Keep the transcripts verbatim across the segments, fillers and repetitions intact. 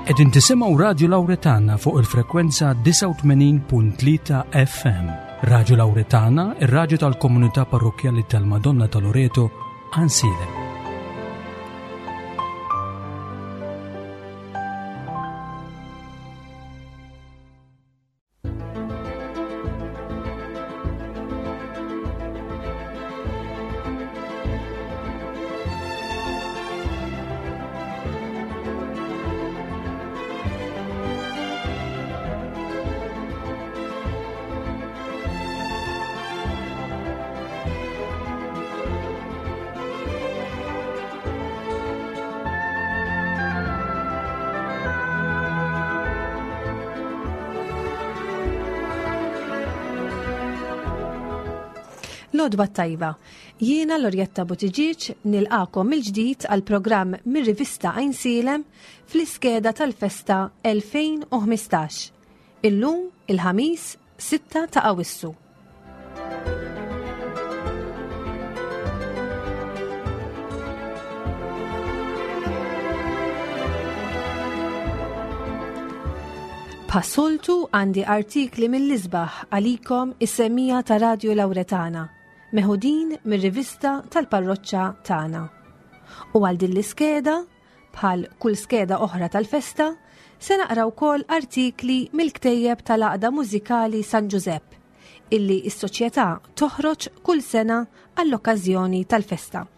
Qegħdin tisimgħu Radio Lauretana fuq il-frekwenza disgħa u tmenin punt tlieta F M. Radio Lauretana, ir-raġu tal-komunità parrokjali tal-Madonna ta' Loreto, Għajnsielem. L-għodwa t-tajba, jiena Lorjetta Buttigieg nilqagħkom mill-ġdid għal programm mir-rivista Għajnsielem fl-iskeda tal-festa elfejn u ħmistax. Illum il-Ħamis sitta ta' Awissu. Bħas-soltu għandi artikli mill-isbaħ għalikom is-semmiegħa ta' Radio Lauretana, meħudin mir-rivista tal-parroċċa tagħna. U għal din l-iskeda, bħal kull skeda oħra tal-festa, se naqra wkoll artikli mill-ktejjeb tal-Għaqda Mużikali San Giuseppe, illi s-soċjetà toħroġ kull sena għall-okkażjoni tal-festa.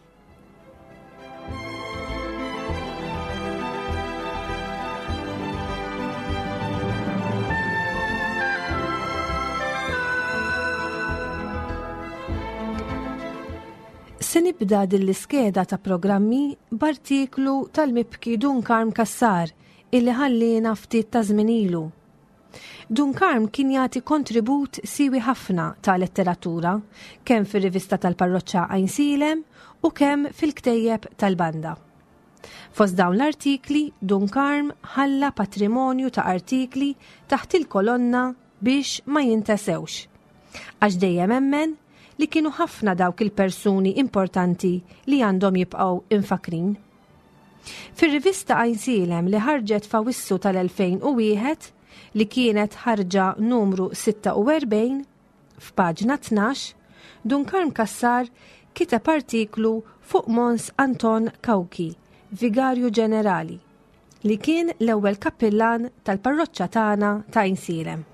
Se nibda din l-iskeda ta' programmi b'artiklu tal-mibki Dun Karm Kassar illi ħallina ftit ta' żmien ilu. Dun Karm kien jagħti kontribut siwi ħafna ta' letteratura, kemm fir-rivista tal-parroċċa Għajnsielem u kemm fil-ktejjeb tal-banda. Fost dawn l-artikli, Dun Karm ħalla patrimonju ta' artikli taħt il-kolonna biex ma jintesewx. Għax dejjem emmen li kienu ħafna dawk il-persuni importanti li għandhom jibqgħu imfakrin. Fir-rivista Għajnsielem li ħarġet f'Awissu tal-elfejn u wieħed, li kienet ħarġa numru sitta u erbgħin, f'paġna tnax, Dun Karm Kassar kiteb artiklu fuq Mons Anton Cauchi, Vigarju Ġenerali, li kien l-ewwel kappillan tal-parroċċa tagħna ta' Għajnsielem.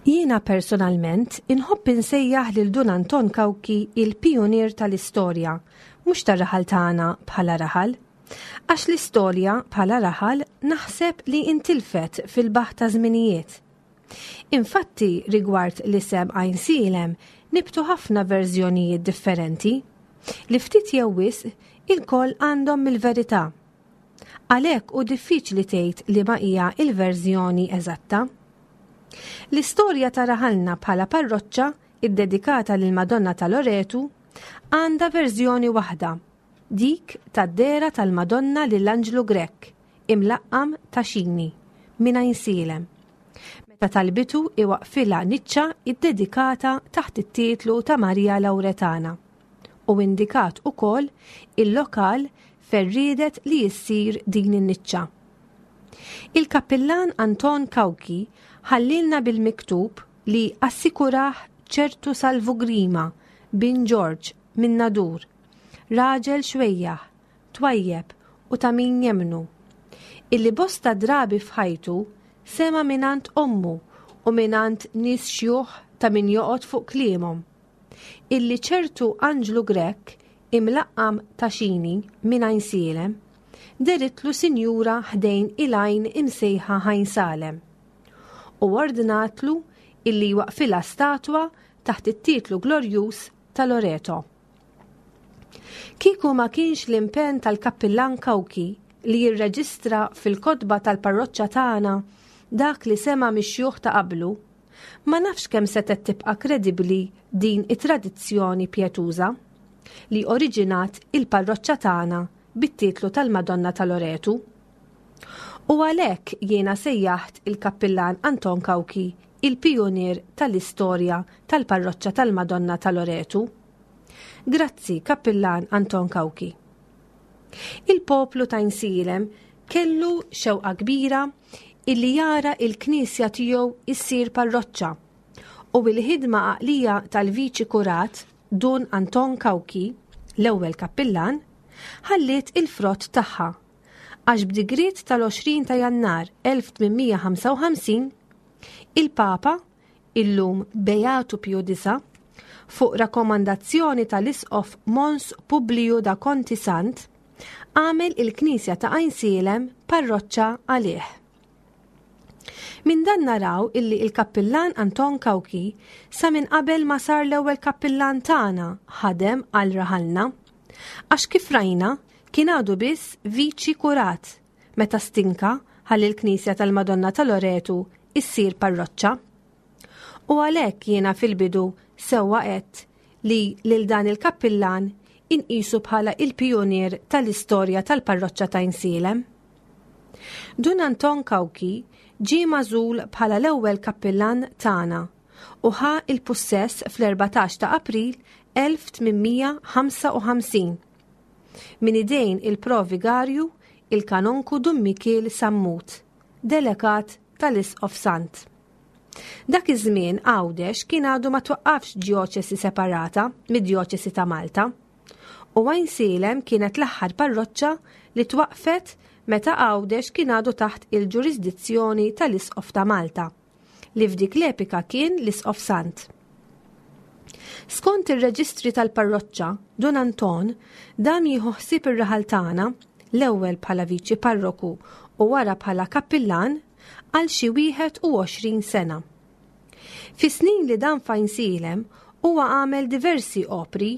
Jiena personalment inħobb insejjaħ lil Dun Anton Cauchi il-pionier tal-istorja, mhux tar-raħal tagħna bħala raħal. Għax l-istorja bħala raħal naħseb li intilfet fil-baħ ta' żminijiet. Infatti rigward l-isem Għajnsielem nibtu ħafna verżjonijiet differenti li ftit jew wisq ilkoll għandhom mill-verità. Għalhekk hu diffiċli tgħid li ma hija il-verżjoni eżatta. L-istorja ta' raħalna bħala parroċċa iddedikata lil Madonna ta' Loretu għandha verżjoni waħda, dik tad-dehra tal-Madonna lil Anġlu Grech, imlaqqam ta' Xini, minn Għajnsielem, meta talbitu iwaqfilha niċċa iddedikata taħt it-titlu ta' Maria Lauretana u indikat ukoll il-lokal fejn riedet li jissir din in-niċċa. Il-kappillan Anton Cauchi ħallilna bil-miktub li assikurah ċertu Salvu Grima bin George minn Nadur, raġel xwejjaħ, twajjeb u ta' min jemnu, illi bosta drabi f'ħajtu sema minant ommu u minant nies xjuħ ta' min joqgħod fuq kliemhom, illi ċertu Anġlu Grech imlaqqam ta' Xini minn Għajnsielem dehritlu sinjura ħdejn il-għajn imsejħa Ħajn Salem u ordnatlu illi waqfilha statwa taħt it-titlu glorjuż ta' Loreto. Kieku ma kienx l-impenn tal-kappillan Cauchi li jirreġistra fil-kotba tal-parroċċa tagħna dak li sema mix-xjuħ ta' qablu, ma nafx kemm setgħet tibqa' kredibbli din it-tradizzjoni pjetuża. li oriġinat il-parroċċa tagħna bit-titlu tal-Madonna ta' Loretu. U għalhekk jiena sejjaħt il-kappillan Anton Cauchi il-pijunier tal-istorja tal-parroċċa tal-Madonna ta' Loretu. Grazzi, Kappillan Anton Cauchi. Il-poplu ta' Għajnsielem kellu xewqa kbira illi jara il-knisja tiegħu issir parroċċa u il-ħidma għaqlija tal-viċi kurat Dun Anton Cauchi, l-ewwel kappillan, ħalliet il-frott tagħha għax b'digriet tal-għoxrin ta' Jannar elf tmien mija ħamsa u ħamsin il-Papa, illum Beatu Pju Disa, fuq rakkomandazzjoni tal-Isqof Mons Publiju da Conti Sant, għamel il-Knisja ta' Għajnsielem parroċċa għalih. Minn dan naraw illi il-kappillan Anton Cauchi sa minn qabel ma sar l-ewwel kappillan tagħna ħadem għal raħalna. Għax kif rajna kien għadu biss viċi kurat meta stinka ħalli l-Knisja tal-Madonna ta' Loretu issir parroċċa. U għalhekk jiena fil-bidu sewwa għedt li lil dan il-kappillan inqisu bħala il-pijunier tal-istorja tal-parroċċa ta' Għajnsielem. Dun Anton Cauchi ġie magħżul bħala l-ewwel kappillan tagħna u ħa il-pussess fl-erbatax ta' April elf tmien mija ħamsa u ħamsin minn idejn il-provigarju il-kanonku Dun Mikiel Sammut, delegat tal-Isqof Sant. Dak iż-żmien Għawdex kien għadu ma twaqqafx djoċesi separata mid-djoċesi ta' Malta. U Għajnsielem kienet l-aħħar parroċċa li twaqfet meta Għawdex kien għadu taħt il-ġurisdizzjoni tal-Isqof ta' Malta, li f'dik l-epika kien l-Isqof Sant. Skont ir-reġistri tal-parroċċa, Dun Anton dam jieħu ħsieb ir-raħal tagħna l-ewwel bħala viċi parroku u wara bħala kappillan għal xi wieħed u għoxrin sena. Fi snin li dam f'Għajnsielem huwa għamel diversi opri,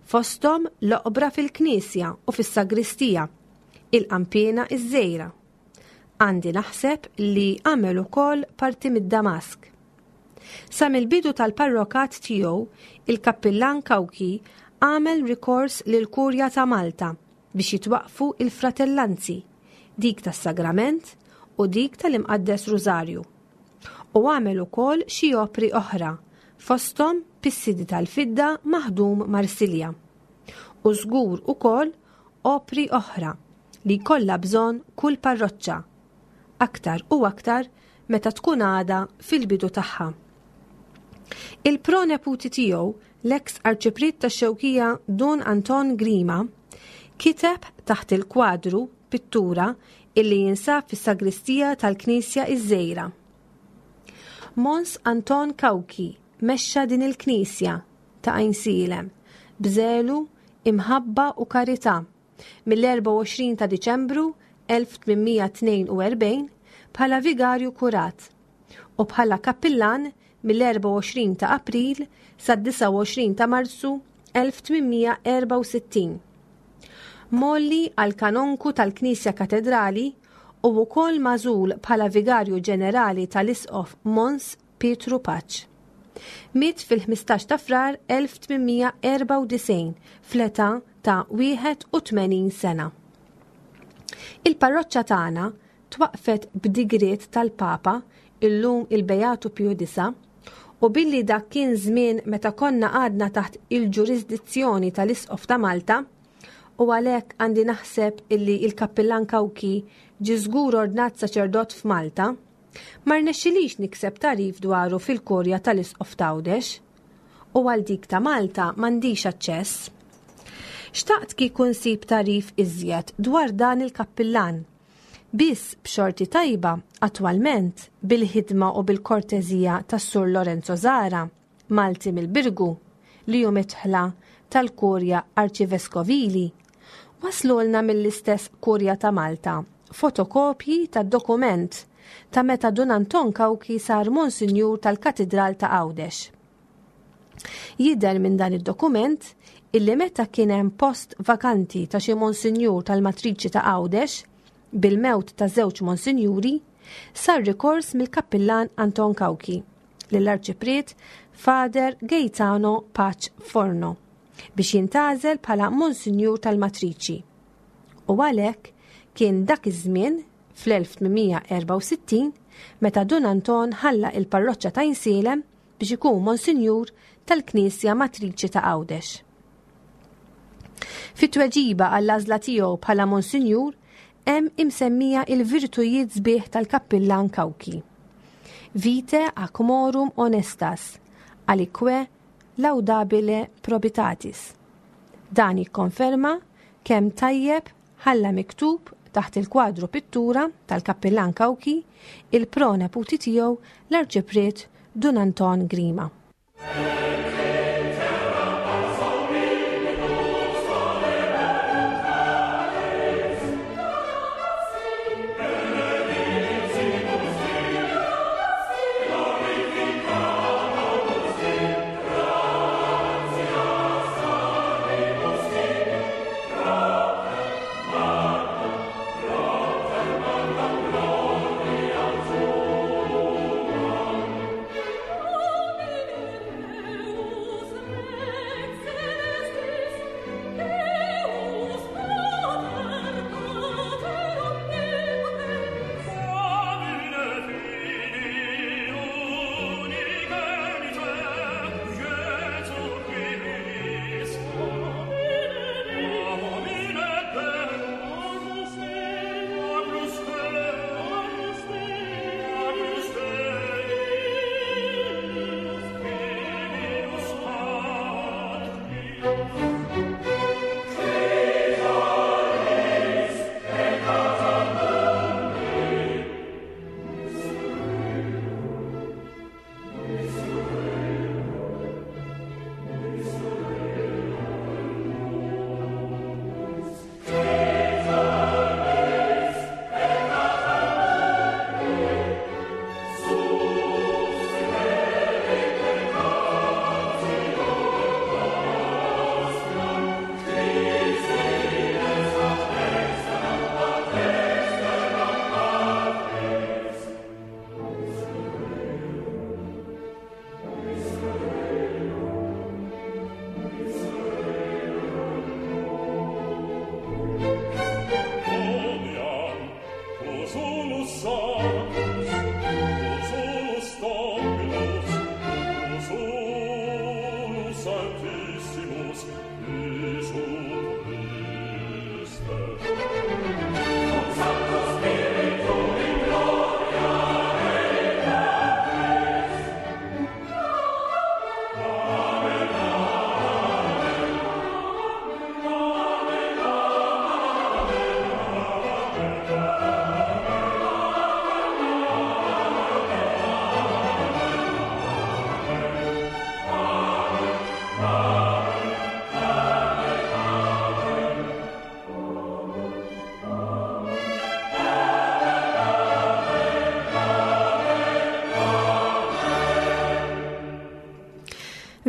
fosthom l-oqbra fil-knisja u fis-sagristija, il-qanpiena iż-żgħira. Għandi naħseb li għamel ukoll parti mid-Damask. Sa mill-bidu tal-parrokat tiegħu, il-kappillan Cauchi għamel rikors lil Kurja ta' Malta biex jitwaqfu il-fratellanzi, dik tas-Sagrament u dik tal-Imqaddes Rużarju. U għamel ukoll xi opri oħra, fosthom pissidi tal-fidda maħdum Marsilja. U żgur ukoll opri oħra li kollha bżonn kull parroċċa, aktar u aktar meta tkun għada fil-bidu tagħha. Il-proneputi tiegħu, l-eks arċipriet tax-Xewkija Dun Anton Grima, kiteb taħt il-kwadru pittura illi jinsab fis-sagristija tal-Knisja iż-Żgħira. Mons Anton Cauchi mexxa din il-Knisja ta' Għajnsielem b'żelu, imħabba u karità mill-erbgħa u għoxrin ta' Diċembru elf tmien mija tnejn u erbgħin bħala vigarju kurat u bħala kappillan mill-erbgħa u għoxrin ta' April sad-disgħa u għoxrin ta' Marzu elf tmien mija erbgħa u sittin. Molli għal kanonku tal-Knisja Katedrali u wkoll magħżul bħala vigarju ġenerali tal-Isqof Mons Pietru Pace. Miet fil-ħmistax ta' Frar elf tmien mija erbgħa u disgħin fl-età ta' wieħed u tmenin sena. Il-parroċċa tagħna twaqfet b'digriet tal-Papa, illum il-Beatu Pju Disa, u billi dak kien żmien meta konna għadna taħt il-ġurisdizzjoni tal-Isqof ta' Malta, u għalhekk għandi naħseb illi il-kappillan Cauchi ġie żgur ordnat saċerdot f'Malta, ma rnexxilix nikseb tagħrif dwaru fil-kurja tal-Isqof t'Għawdex, u għal dik ta' Malta m'għandix aċċess. Xtaqt kieku nsib tagħrif iżjed dwar dan il-kappillan. Biss b'xorti tajba, attwalment, bil-ħidma u bil-kortezija tas-Sur Lorenzo Zara, Malti mill-Birgu, li hu mitħla tal-Kurja Arċiveskovili, waslulna mill-istess Kurja ta' Malta fotokopji tad-dokument ta' meta Dun Anton Cauchi sar Monsinjur tal-Katidral ta' Għawdex. Jidher minn dan id-dokument illi meta kien hemm post vakanti ta' xi Monsinjur tal-Matriċi ta' Għawdex, bil-mewt ta' żewġ Monsinjuri, sar rikors mill-kappillan Anton Cauchi lill-Arċipriet Father Gaetano Pace Forno biex jintgħażel bħala Monsinjur tal-Matriċi. U għalhekk kien dak iż-żmien fl-elf tmien mija erbgħa u sittin meta Dun Anton ħalla il-parroċċa ta' Għajnsielem biex ikun Monsinjur tal-Knisja Matriċi ta' Għawdex. Fit-tweġiba għall-għażla tiegħu bħala Monsinjur hemm imsemmija il-virtujiet sbieħ tal-kappillan Cauchi. Vitae ac morum honestas, alique laudabile probitatis. Dan jikkonferma kemm tajjeb ħalla miktub taħt il-kwadru pittura tal-kappillan Cauchi il-proneputi tiegħu l-Arċipriet Dun Anton Grima.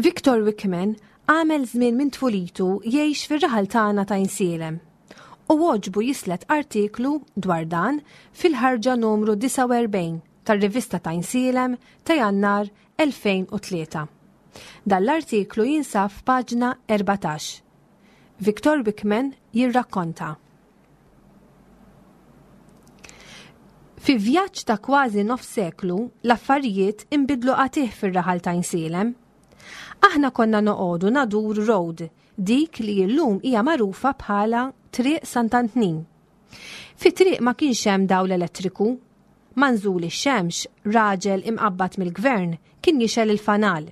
Victor Wickman għamel żmien minn tfulitu jgħix fir-raħal tagħna ta' Għajnsielem u għoġbu jislet artiklu dwar dan fil-ħarġa numru disgħa u erbgħin tar-rivista ta' Għajnsielem ta' Jannar elfejn u tlieta. Dan l-artiklu jinsab f'paġna erbatax. Victor Wickman jirrakkonta. Fi vjaġġ ta' kważi nof seklu, l-affarijiet inbidlu qatigħ fir-raħal ta' Għajnsielem. Aħna konna noqogħdu Nadur Road, dik li llum hija magħrufa bħala Triq Sant'Antnin. Fi triq ma kienx hemm dawl elettriku. Ma' nżul ix-xemx, raġel imqabbad mill-gvern kien jixgħel il-fanal.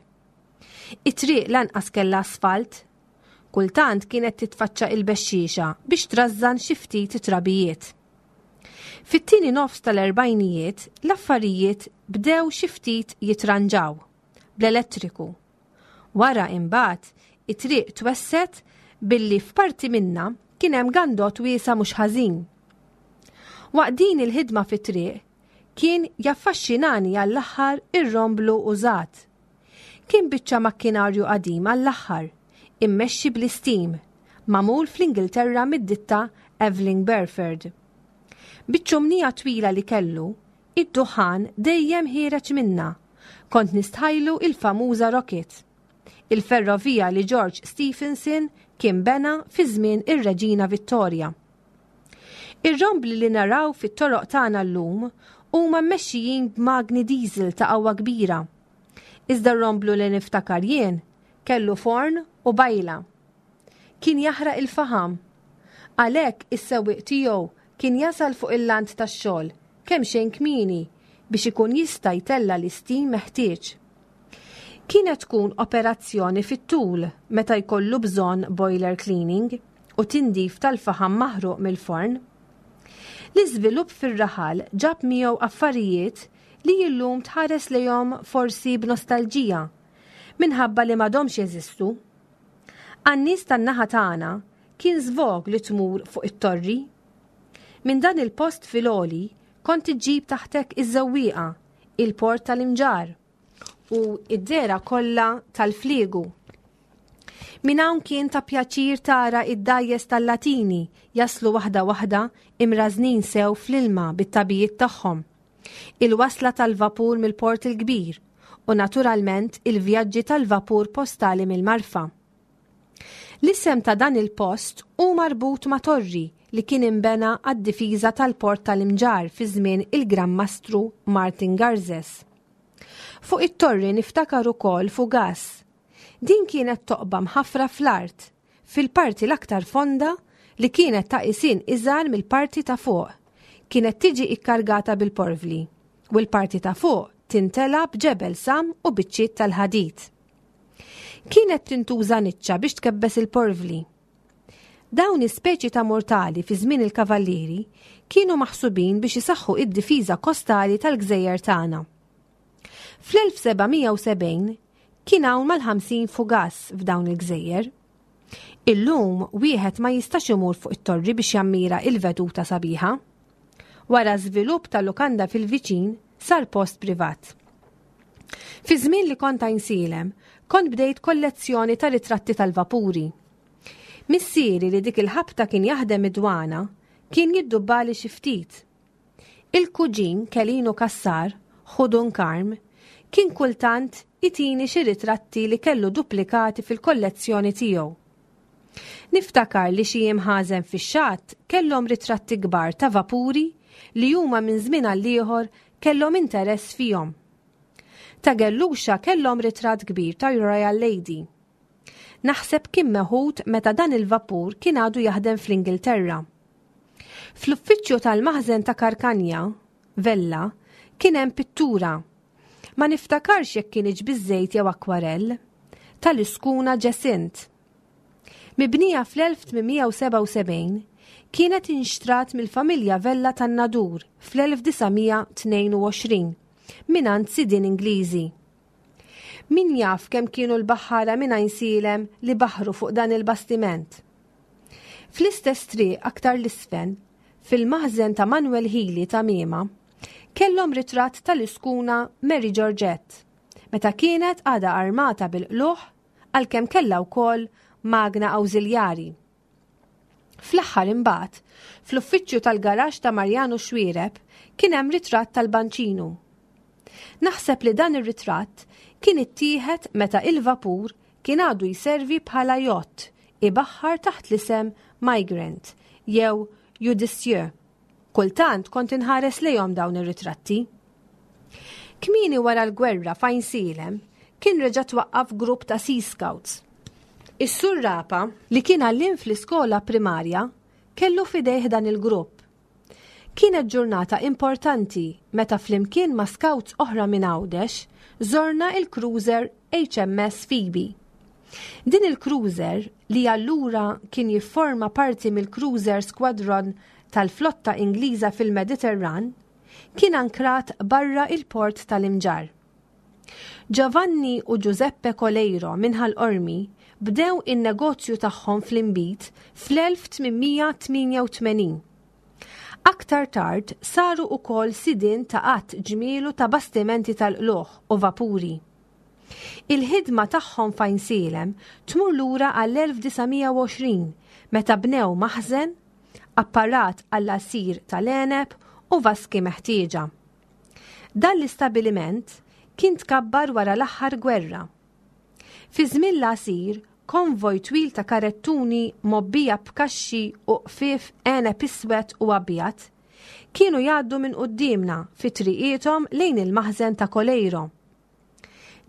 It-triq lanqas kellha asfalt. Kultant kienet titfaċċa il-bexxiexa biex trażżan xi ftit trabijiet. Fit-tieni nofs tal-erbgħinijiet, l-affarijiet bdew xi ftit jitranġaw bl-elettriku. Wara imbagħad it-triq twesset billi f'parti minna kien hemm gandot wiesa' mhux ħażin. Waqt din il-ħidma fit-triq kien jaffaxxinani għall-aħħar ir-romblu użat. Kien biċċa makkinarju qadim għall-aħħar, immexxi bl-istim, magħmul fl-Ingilterra mid-ditta Aveling Barford. Biċ-ċumnija twila li kellu, id-duħan dejjem ħiereġ minna. Kont nistħajlu il-famuża rocket. Il-ferrovija li George Stephenson kien bena fi żmien ir-Reġina Vittoria. Ir-rombli li naraw fit-toroq tagħna llum huma mmexxijin b'magni diesel ta' qawwa kbira. Iżda r-romblu li niftakar jien kellu forn u bajla. Kien jaħraq il-faħam. Għalhekk is-sewwieq tiegħu kien jasal fuq il-lant tax-xogħol kemm xejn kmieni biex ikun jista' jtella' l-istim meħtieġ. Kienet tkun operazzjoni fit-tul meta jkollu bżonn boiler cleaning u tindif tal-faħam maħruq mill-forn. L-iżvilupp fir-raħal ġab miegħu affarijiet li illum tħares lejhom forsi b'nostalġija minħabba li m'għadhomx jeżistu. Għan-nies tan-naħa tagħna kien żvog li tmur fuq it-torri. Minn dan il-post fil-għoli kont iġġib taħtek iż-żewwieqa, il-port tal-Imġarr u id-dehra kollha tal-fliegu. Minn hawn kien ta' pjaċir tara id-dgħajjes tal-Latini jaslu waħda waħda imrażnin sew fl-ilma bit-tagħbijiet tagħhom. Il-wasla tal-vapur mill-Port il-Kbir u naturalment il-vjaġġi tal-vapur postali mill-Marfa. L-isem ta' dan il-post hu marbut ma' torri li kien imbena għad-difiża tal-port tal-Imġarr fi żmien il-Gran Mastru Martin Garzes. Fuq it-torri niftakar ukoll fugas. Din kienet toqba mħaffra fl-art, fil-parti l-aktar fonda li kienet ta' isin iżgħar mill-parti ta' fuq. Kienet tiġi ikkargata bil-porvli u l-parti ta' fuq tintela b'ġebel sam u biċċiet tal-ħadid. Kienet tintuża niċċa biex tkebbes il-porvli. Dawn is-speċi ta' mortali fi żmien il-kavallieri kienu maħsubin biex isaħħu id-difiża kostali tal-gżejjer tagħna. Fl-elf seba' mija u sebgħin kien hawn mal-ħamsin fugas f'dawn il-gżejjer. Illum wieħed ma jistax imur fuq it-torri biex jammira il-veduta sabiħa. Wara żvilupp tal-lukanda fil-viċin sar post privat. Fi żmien li kont Għajnsielem, kont bdejt kollezzjoni ta' ritratti tal-vapuri. Missieri li dik il-ħabta kien jaħdem id-dwana, kien jiddubbali xi ftit. Il-kuġin Kelinu Kassar, Ħudun Karm, kien kultant itini xi ritratti li kellu duplikati fil-kollezzjoni tiegħu. Niftakar li xi imħażen fix-xatt kellhom ritratti kbar ta' vapuri li huma minn żmien għal ieħor kellhom interess fihom. Ta' Gelluxa kellhom ritratt kbir ta' Royal Lady. Naħseb kien meħud meta dan il-vapur kien għadu jaħdem fl-Ingilterra. Fl-uffiċċju tal-maħżen ta' Karkanja, Vella, kien hemm pittura. Ma niftakarx jekk kienx biż-żejt jew akwarell, tal-iskuna Ġesint. Mibnija fl-elf tmien mija u sebgħa u sebgħin, kienet inxtrat mill-familja Vella tan-Nadur fl-elf disa' mija tnejn u għoxrin mingħand sidien Ingliżi. Min jaf kemm kienu l-baħħara minn Għajnsielem li baħru fuq dan il-bastiment. Fl-istess triq aktar l-isfel, fil-maħżen ta' Manuel Healy ta' Miema, kellhom ritratt tal-iskuna Mary Georgette, meta kienet għadha armata bil-qluħ għalkemm kellha wkoll magna awżiljari. Fl-aħħar imbagħad, fl-uffiċċju tal-garaxx ta' Mariano Xwiereb kien hemm ritratt tal-Banċinu. Naħseb li dan ir-ritratt kien ittieħed meta il-vapur kien għadu jservi bħala jott ibaħħar taħt l-isem Migrant jew Judicieux. Kultant kont inħares lejhom dawn ir-ritratti. Kmieni wara l-gwerra f'Għajnsielem kien reġa' twaqqaf grupp ta' Sea Scouts. Is-Sur Rapa, li kien għalliem fl-iskola primarja, kellu fidejh dan il-grupp. Kienet ġurnata importanti meta flimkien ma' scouts oħra minn Għawdex żorna il-cruiser H M S Phoebe. Din il-cruiser, li allura kien jifforma parti mill-Cruiser Squadron tal-flotta Ingliża fil-Mediterran, kien ankrat barra il-port tal-Imġarr. Giovanni u Giuseppe Coleiro minn Ħal Qormi bdew in-negozju tagħhom fl-inbid fl-elf tmien mija tmienja u tmenin. Aktar tard saru wkoll sidien ta' qatt ġmielu ta' bastimenti tal-qluħ u vapuri. Il-ħidma tagħhom f'Għajnsielem tmur lura għall-elf disa' mija u għoxrin meta bnew maħżen, apparat għall-għasir tal-għeneb u vaski meħtieġa. Dan l-istabiliment kien tkabbar wara l-aħħar gwerra. Fi żmien l-għasir, konvoj twil ta' karettuni mgħobbija b'kaxxi u qfief għeneb iswed u abjad kienu jgħaddu minn quddiemna fi triqithom lejn il-maħżen ta' Coleiro.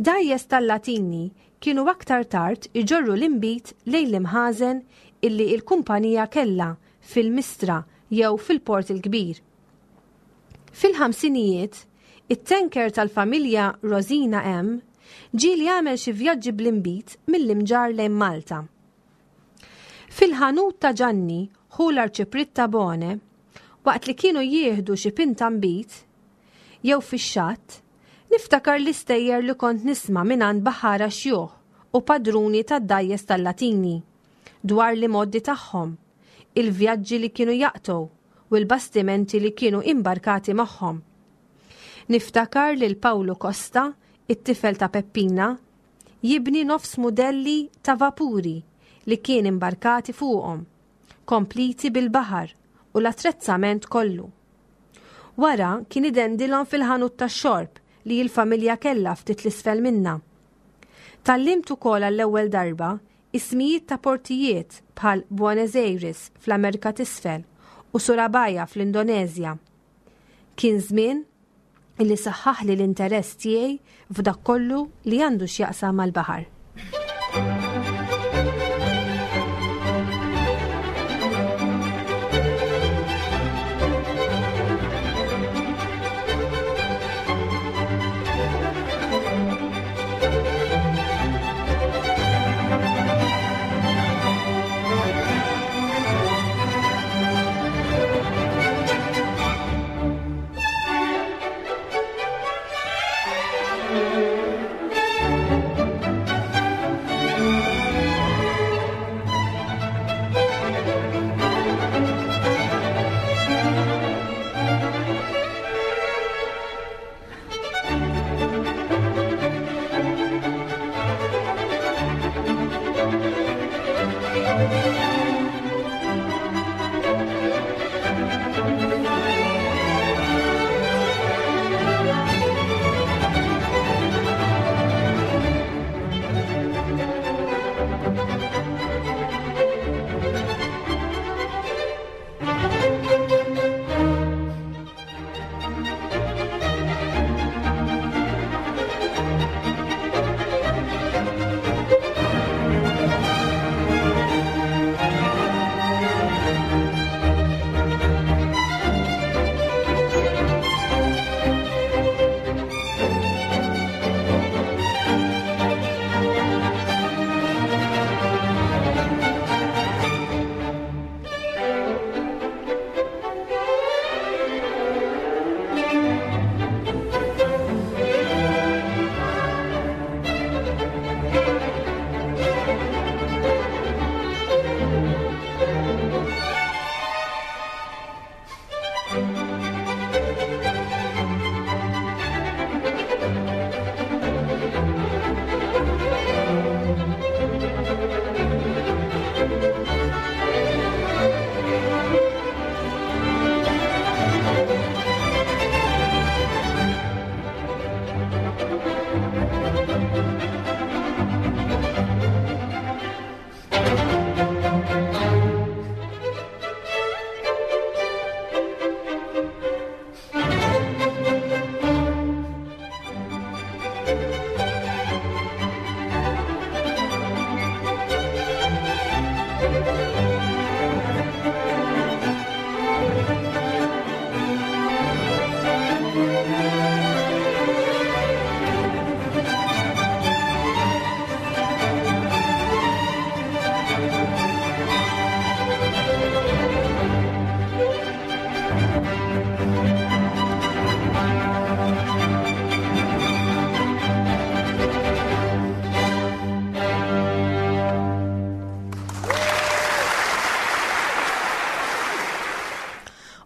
Dgħajjes tal-Latini kienu aktar tard iġorru l-inbid lejn l-imħażen illi il-kumpanija kellha fil-Mistra jew fil-Port il-Kbir. Fil-ħamsinijiet, it-tanker tal-familja Rosina M ġieli għamel xi vjaġġi bl-inbid mill-Imġarr lejn Malta. Fil-ħanut ta' Ġanni, ħu l-Arċipriet Tabone, waqt li kienu jieħdu xi pinta nbid, jew fix-xatt, niftakar l-istejjer li kont nisma' mingħand baħara xjuħ u padruni tad-dgħajjes tal-Latini dwar l-imgħoddi tagħhom, il-vjaġġi li kienu jaqtgħu u l-bastimenti li kienu imbarkati magħhom. Niftakar lil Pawlu Costa, it-tifel ta' Peppina, jibni nofs mudelli ta' vapuri li kien imbarkati fuqhom, kompliti bil-baħar u l-attrezzament kollu. Wara kien idendilhom fil-ħanut tax-xorb li l-familja kellha ftit l-isfel minna. Tgħallimt ukoll għall-ewwel darba ismijiet ta' portijiet bħal Buenos Aires fl-Amerika t'Isfel u Surabaya fl-Indonezja. Kien żmien illi saħħaħli l-interess tiegħi f'dak kollu li għandu x'jaqsam mal-baħar.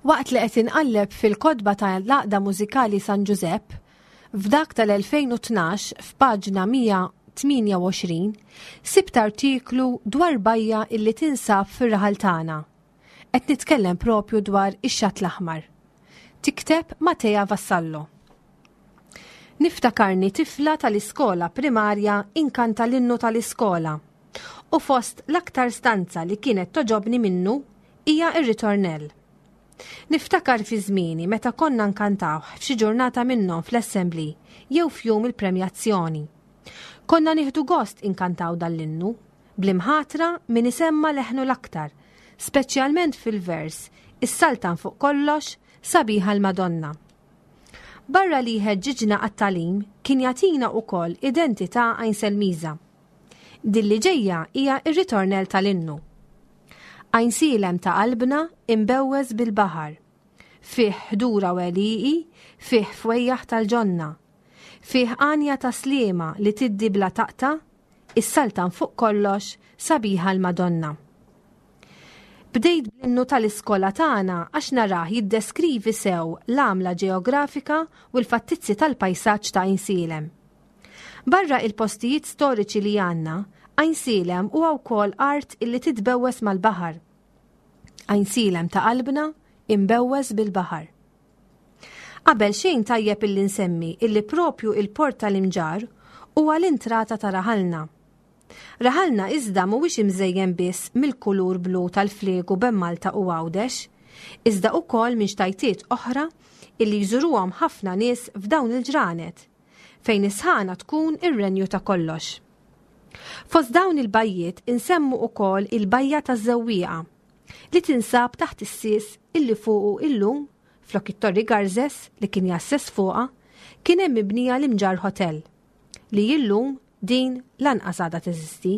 Waqt li qed inqalleb fil-kotba ta' l-Għaqda Mużikali San Ġużepp, f'dak tal-elfejn u tnax f'paġna mija tmienja u għoxrin, sibt artiklu dwar bajja illi tinsab fir-raħal tagħna. Qed nitkellem propju dwar ix-Xatt l-Aħmar. Tikteb Matea Vassallo. Niftakarni tifla tal-iskola primarja inkanta l-innu tal-iskola u fost l-aktar stanza li kienet togħġobni minnu hija ir-ritornell. Niftakar fi żmieni meta konna nkantaw f'xi ġurnata minnhom fl-assembly jew f'jum il-premjazzjoni. Konna nieħdu gost inkantaw dal-innu, bl-imħatra min isemma leħnu l-aktar, speċjalment fil-vers Is-saltan fuq kollox, sabiħa l-Madonna. Barra li ħeġġiġna għat-tagħlim kien jagħtina wkoll identità Għajnselmiża. Din li ġejja hija ir-ritornell tal-innu. Għajnsielem ta' qalbna imbewwes bil-baħar. Fih ħdura u għelieqi, fih fwejjaħ tal-ġonna. Fih għanja ta' sliema li tiddi bla taqta', is-saltan fuq kollox, sabiħa l-Madonna. Bdejt bl-innu tal-iskola tagħna għax narah jiddeskrivi sew l-għamla ġeografika u l-fattizzi tal-pajsaġġ ta' Għajnsielem. Barra il-postijiet storiċi li għandna, Għajnsielem huwa wkoll art illi titbewwes mal-baħar. Għajnsielem ta' qalbna imbewwes bil-baħar. Qabel xejn tajjeb illi nsemmi illi propju il-port tal-Imġarr huwa l-intrata ta' raħalna. Raħalna iżda mhuwiex imżejjen biss mill-kulur blu tal-fliegu bejn Malta u Għawdex, iżda wkoll minn xtajtiet oħra illi jżuruhom ħafna nies f'dawn il-ġranet, fejn is-sħana tkun ir-renju ta' kollox. Fost dawn il-bajjiet insemmu ukoll il-bajja taż-Żewwieqa li tinsab taħt is-sis illi fuqu illum flok it-Torri Garzes li kien jassess fuqha kien hemm mibnija l-Imġarr Hotel li illum din lanqas għadha teżisti.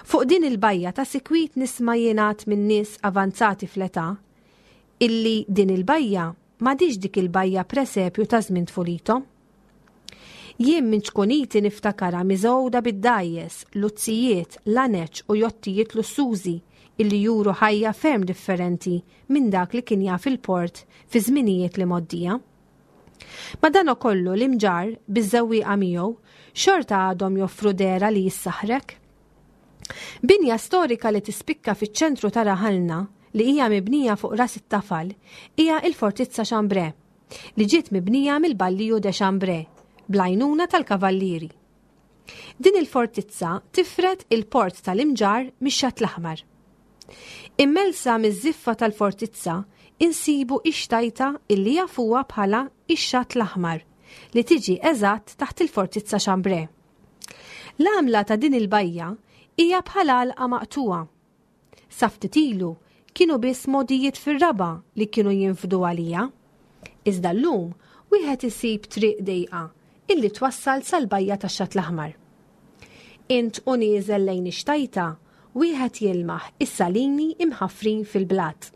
Fuq din il-bajja ta' sikwit nisma' jingħad minn nies avanzati fl-età illi din il-bajja m'għadix dik il-bajja presepju ta' żmien tfulithom. Jien minn ċkuniti niftakara miżgħuda bid-dgħajjes, luzzijiet, laneċ u jottijiet lussużi illi juru ħajja ferm differenti minn dak li kien jaf il-port fi żminijiet li moddija. Ma dan kollu l-Imġarr biż-Żewwieqa miegħu xorta għadhom joffru dehra li jissaħrek. Binja storika li tispikka fiċ-ċentru ta' raħalna li hija mibnija fuq ras it-tafal hija il-Fortizza Chambray li ġiet mibnija mill-Balliju de Chambray bl-għajnuna tal-Kavallieri. Din il-fortizza tifred il-port tal-Imġarr mix-Xatt l-Aħmar. Immellsa miż-żiffa tal-fortizza insibu ix-xtajta illi jafuha bħala ix-Xatt l-Aħmar li tiġi eżatt taħt il-Fortizza Chambray. L-għamla ta' din il-bajja hija bħala għalqa maqtuwa. Sa ftit ilu kienu biss mogħdijiet fir-raba li kienu jinfdu għalija. Iżda llum wieħed isib triq dejqa illi twassal sal-bajja tax-Xatt l-Aħmar. Int u nieżel lejn ix-xtajta wieħed jilmaħ is-salini imħaffrin fil-blat.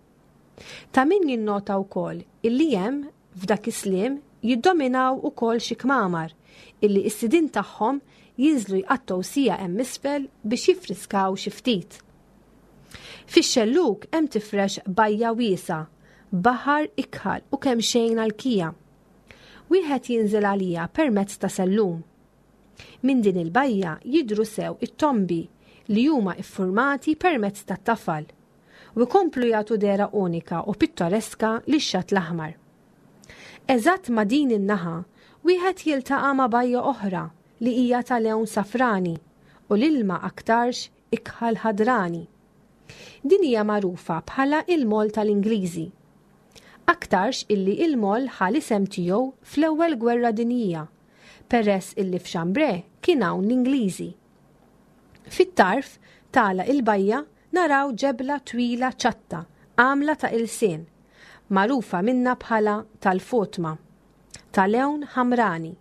Ta' min jinnota wkoll illi hemm f'dak is-slim jiddominaw ukoll xi kmamar illi s-sidin tagħhom jinżlu jqattgħu siegħa hemm isfel biex jiffriskaw xi ftit. Fix-xelluk hemm tifrex bajja wiesa, baħar ikħal u kemm xejn għal-kija. Wieħed jinżel għalija permezz ta' sellum. Minn din il-bajja jidru sew it-tombi li huma iffurmati permezz tat-tafal u jkomplu jagħtu dehra unika u pittoreska lix-Xatt l-Aħmar. Eżatt ma' din in-naħa wieħed jiltaqa' ma' bajja oħra li hija ta' lewn safrani u l-ilma aktarx ikħal ħadrani. Din hija magħrufa bħala il-mol tal-Ingliżi. Aktarx illi il-mol ħa l-isem tiegħu fl-ewwel gwerra dinjija, peress illi f'Chambray kien hawn l-Ingliżi. Fit-tarf tala il-bajja naraw ġebla twila ċatta, għamla ta' ilsien, magħrufa minna bħala tal-Fotma, ta' lewn ħamrani,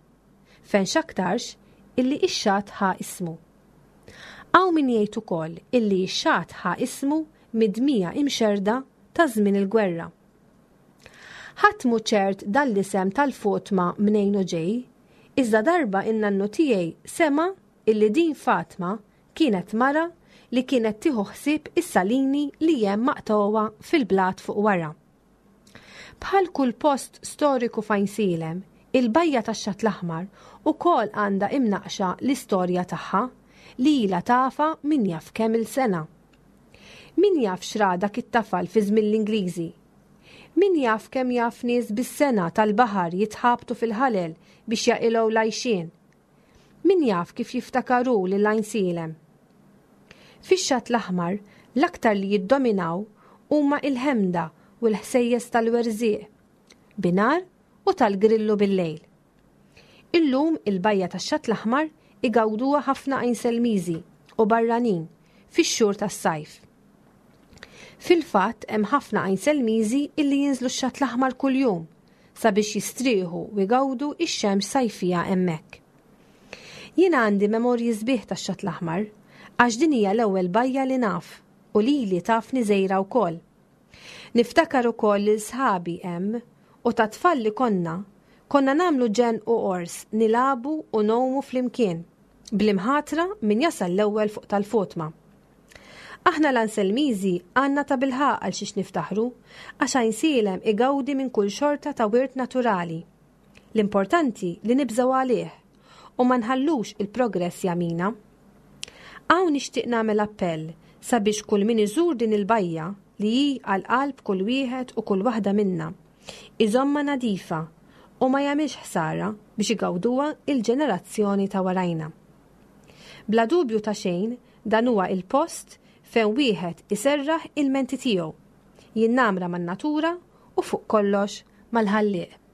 fejn x'aktarx illi ix-xatt ħa ismu. Hawn min jgħid ukoll illi x-xatt ħa ismu mid-dmija imxerda ta' żmien il-gwerra. Ħadd mhu ċert dan l-isem tal-Fotma mnejn u ġej, iżda darba in-nannu tiegħi sema illi din Fatma kienet mara li kienet tieħu ħsieb is-salini li hemm maqtgħuha fil-blat fuq wara. Bħal kull post storiku f'Għajnsielem, il-bajja tax-Xatt l-Aħmar ukoll għandha imnaqxa l-istorja tagħha li ilha tafha min jaf kemm il-sena. Min jaf x'ra dak it-tafal fi żmien l-Ingliżi? Min jaf kemm jaf nies bis-sengħa tal-baħar jitħabtu fil-ħalel biex jaqilgħu l-għajxien. Min jaf kif jiftakaru lil Għajnsielem. Fix-Xatt l-Aħmar l-aktar li jiddominaw huma il-ħemda u l-ħsejjes tal-werżieq, binhar u tal-grillu bil-lejl. Illum il-bajja tax-Xatt l-Aħmar igawduha ħafna Għajnselmiżi u barranin fix-xhur tas-sajf. Fil-fatt hemm ħafna Għajnselmiżi illi jinżlu x-Xatt l-Aħmar kuljum sabiex jistrieħu u jgawdu ix-xemx sajfija hemmhekk. Jiena għandi memorji sbieħ tax-Xatt l-Aħmar għax din hija l-ewwel bajja li naf u lili tafni żgħira wkoll. Niftakar ukoll lil sħabi hemm u ta' tfal li konna, konna nagħmlu ġenn u qors nilagħbu u ngħumu flimkien, bl-imħatra min jasal l-ewwel fuq tal-fotma. Aħna l-Anselmiżi għandna tabilħaqq għal xiex niftaħru, għax Għajnsielem igawdi minn kull xorta ta' wirt naturali. L-importanti li nibżgħu għalih u ma nħallux il-progress jagħmina. Hawn nixtieq nagħmel appell sabiex kull min iżur din il-bajja li hi għal qalb kull wieħed u kull waħda minna, iżommha nadifa u ma jagħmilx ħsara biex igawduha il-ġenerazzjoni ta' warajna. Bla dubju ta' xejn, dan huwa il-post fejn wieħed iserraħ il-menti tiegħu, jinnamra man-natura u fuq kollox mal-Ħallieq.